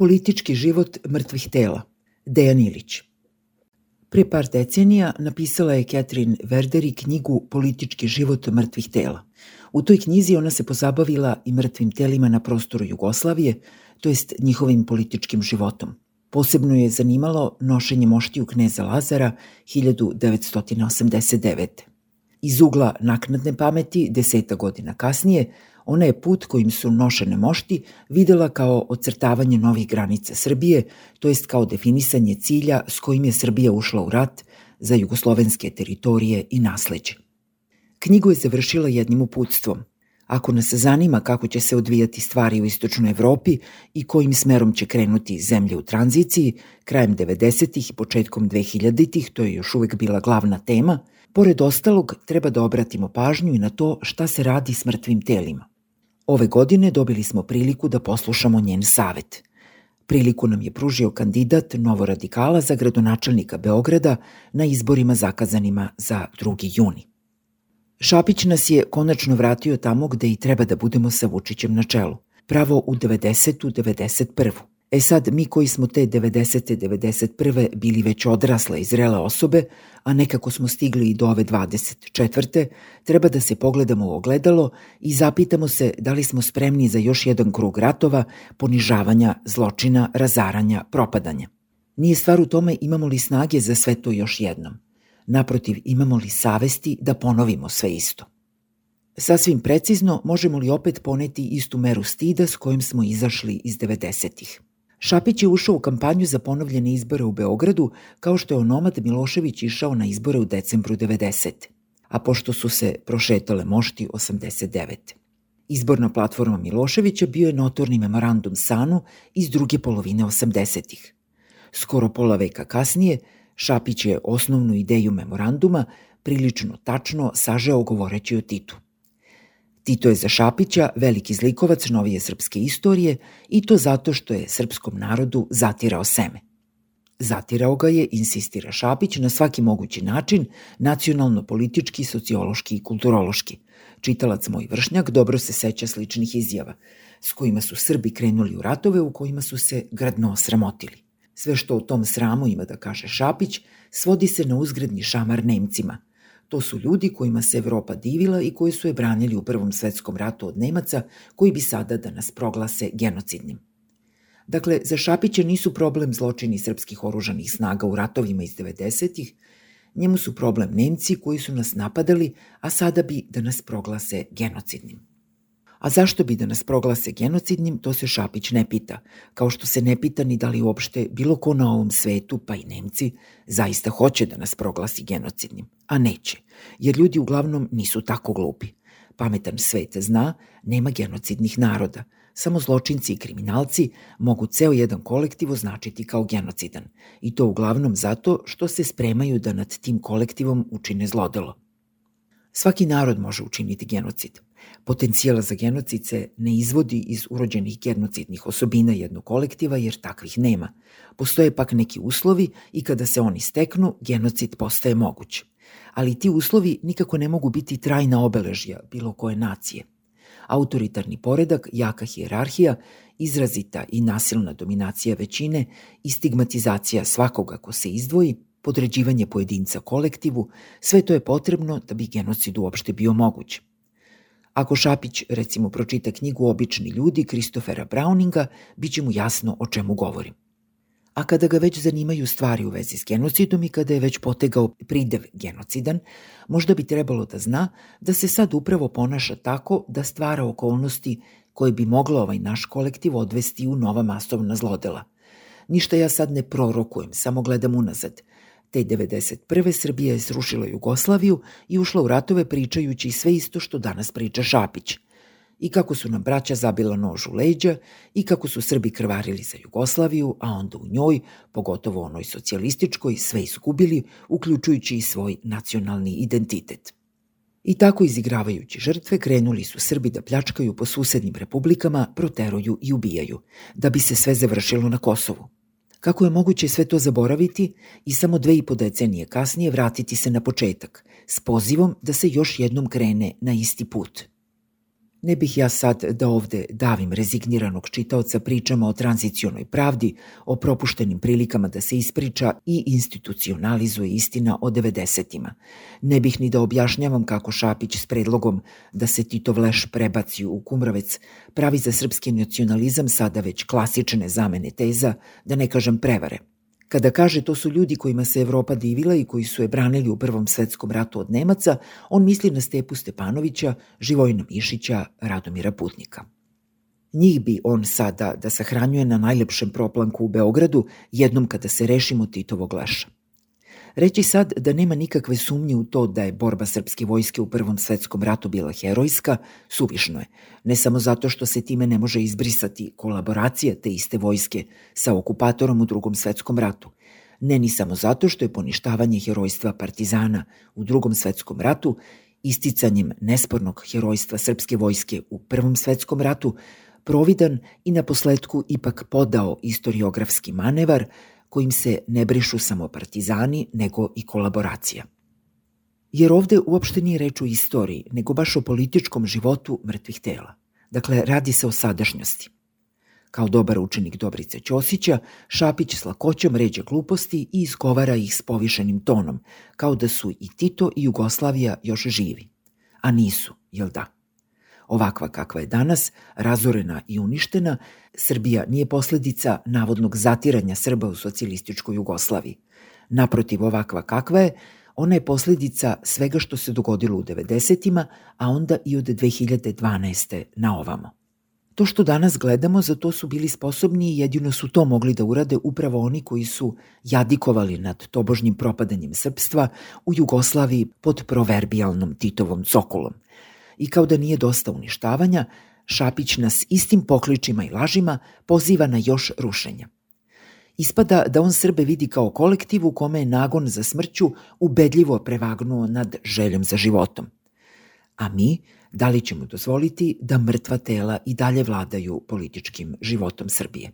Politički život mrtvih tela. Dejan Ilić. Pre par decenija napisala je Catherine Verderi knjigu Politički život mrtvih tela. U toj knjizi ona se pozabavila i mrtvim telima na prostoru Jugoslavije, to jest njihovim političkim životom. Posebno je zanimalo nošenje moštiju kneza Lazara 1989. Iz ugla naknadne pameti, 10 godina kasnije, ona je put kojim su nošene mošti videla kao ocrtavanje novih granica Srbije, to jest kao definisanje cilja s kojim je Srbija ušla u rat za jugoslovenske teritorije i nasleđe. Knjigu je završila jednim uputstvom. Ako nas zanima kako će se odvijati stvari u istočnoj Evropi i kojim smerom će krenuti zemlje u tranziciji, krajem 90-ih i početkom 2000-ih, to je još uvek bila glavna tema, pored ostalog treba da obratimo pažnju i na to šta se radi s mrtvim telima. Ove godine dobili smo priliku da poslušamo njen savet. Priliku nam je pružio kandidat Novoradikala za gradonačelnika Beograda na izborima zakazanima za 2. juni. Šapić nas je konačno vratio tamo gde i treba da budemo sa Vučićem na čelu, pravo u 90. 91. Sad, mi koji smo te 90. 91. bili već odrasle i zrele osobe, a nekako smo stigli i do ove 24. treba da se pogledamo u ogledalo i zapitamo se da li smo spremni za još jedan krug ratova, ponižavanja, zločina, razaranja, propadanja. Nije stvar u tome imamo li snage za sve to još jednom. Naprotiv, imamo li savesti da ponovimo sve isto. Sasvim precizno, možemo li opet poneti istu meru stida s kojim smo izašli iz 90-ih. Šapić je ušao u kampanju za ponovljene izbore u Beogradu kao što je onomad Milošević išao na izbore u decembru 90. A pošto su se prošetale mošti 89. Izborna platforma Miloševića bio je notorni memorandum SANU iz druge polovine 80-ih. Skoro pola veka kasnije, Šapić je osnovnu ideju memoranduma prilično tačno sažeo govoreći o Titu. Tito je za Šapića veliki zlikovac novije srpske istorije i to zato što je srpskom narodu zatirao seme. Zatirao ga je, insistira Šapić, na svaki mogući način, nacionalno, politički, sociološki i kulturološki. Čitalac moj vršnjak dobro se seća sličnih izjava, s kojima su Srbi krenuli u ratove u kojima su se grdno osramotili. Sve što u tom sramu ima da kaže Šapić, svodi se na uzgredni šamar Nemcima. To su ljudi kojima se Evropa divila i koji su je branili u Prvom svetskom ratu od Nemaca, koji bi sada da nas proglase genocidnim. Dakle, za Šapića nisu problem zločini srpskih oružanih snaga u ratovima iz 90-ih, njemu su problem Nemci koji su nas napadali, a sada bi da nas proglase genocidnim. A zašto bi da nas proglase genocidnim, to se Šapić ne pita, kao što se ne pita ni da li uopšte bilo ko na ovom svetu, pa i Nemci, zaista hoće da nas proglasi genocidnim, a neće, jer ljudi uglavnom nisu tako glupi. Pametan svet zna, nema genocidnih naroda, samo zločinci i kriminalci mogu ceo jedan kolektiv označiti kao genocidan, i to uglavnom zato što se spremaju da nad tim kolektivom učine zlodelo. Svaki narod može učiniti genocid. Potencijala za genocid se ne izvodi iz urođenih genocidnih osobina jednog kolektiva jer takvih nema. Postoje pak neki uslovi i kada se oni steknu, genocid postaje moguć. Ali ti uslovi nikako ne mogu biti trajna obeležja bilo koje nacije. Autoritarni poredak, jaka hijerarhija, izrazita i nasilna dominacija većine i stigmatizacija svakoga ko se izdvoji, podređivanje pojedinca kolektivu, sve to je potrebno da bi genocid uopšte bio moguć. Ako Šapić, recimo, pročita knjigu Obični ljudi Kristofera Browninga, bit će mu jasno o čemu govorim. A kada ga već zanimaju stvari u vezi s genocidom i kada je već potegao pridev genocidan, možda bi trebalo da zna da se sad upravo ponaša tako da stvara okolnosti koje bi moglo ovaj naš kolektiv odvesti u nova masovna zlodela. Ništa ja sad ne prorokujem, samo gledam unazad. Te 91. Srbija je srušila Jugoslaviju i ušla u ratove pričajući sve isto što danas priča Šapić. I kako su nam braća zabila nož u leđa i kako su Srbi krvarili za Jugoslaviju, a onda u njoj, pogotovo onoj socijalističkoj, sve izgubili, uključujući i svoj nacionalni identitet. I tako izigravajući žrtve krenuli su Srbi da pljačkaju po susednim republikama, proteruju i ubijaju, da bi se sve završilo na Kosovu. Kako je moguće sve to zaboraviti i samo 2,5 decenije kasnije vratiti se na početak, s pozivom da se još jednom krene na isti put? Ne bih ja sad da ovde davim rezigniranog čitaoca pričama o tranzicionoj pravdi, o propuštenim prilikama da se ispriča i institucionalizuje istina o 90-ima. Ne bih ni da objašnjavam kako Šapić s predlogom da se Titov leš prebaci u Kumrovec pravi za srpski nacionalizam sada već klasične zamene teza, da ne kažem prevare. Kada kaže to su ljudi kojima se Evropa divila i koji su je branili u Prvom svetskom ratu od Nemaca, on misli na Stepu Stepanovića, Živojina Mišića, Radomira Putnika. Njih bi on sada da sahranjuje na najlepšem proplanku u Beogradu jednom kada se rešimo Titovog leša. Reći sad da nema nikakve sumnje u to da je borba srpske vojske u Prvom svetskom ratu bila herojska, suvišno je. Ne samo zato što se time ne može izbrisati kolaboracija te iste vojske sa okupatorom u Drugom svetskom ratu. Ne ni samo zato što je poništavanje herojstva partizana u Drugom svetskom ratu isticanjem nespornog herojstva srpske vojske u Prvom svetskom ratu providan i na posledku ipak podao istoriografski manevar kojim se ne brišu samo partizani, nego i kolaboracija. Jer ovde uopšte nije reč o istoriji, nego baš o političkom životu mrtvih tela. Dakle, radi se o sadašnjosti. Kao dobar učenik Dobrice Ćosića, Šapić s lakoćom ređe gluposti i izgovara ih s povišenim tonom, kao da su i Tito i Jugoslavija još živi. A nisu, jel da? Ovakva kakva je danas, razorena i uništena, Srbija nije posledica navodnog zatiranja Srba u socijalističkoj Jugoslaviji. Naprotiv, ovakva kakva je, ona je posledica svega što se dogodilo u 90-ima, a onda i od 2012. na ovamo. To što danas gledamo, za to su bili sposobni i jedino su to mogli da urade upravo oni koji su jadikovali nad tobožnjim propadanjem srpstva u Jugoslaviji pod proverbijalnom Titovom cokulom. I kao da nije dosta uništavanja, Šapić nas istim pokličima i lažima poziva na još rušenja. Ispada da on Srbe vidi kao kolektiv u kome je nagon za smrću ubedljivo prevagnuo nad željom za životom. A mi, da li ćemo dozvoliti da mrtva tela i dalje vladaju političkim životom Srbije?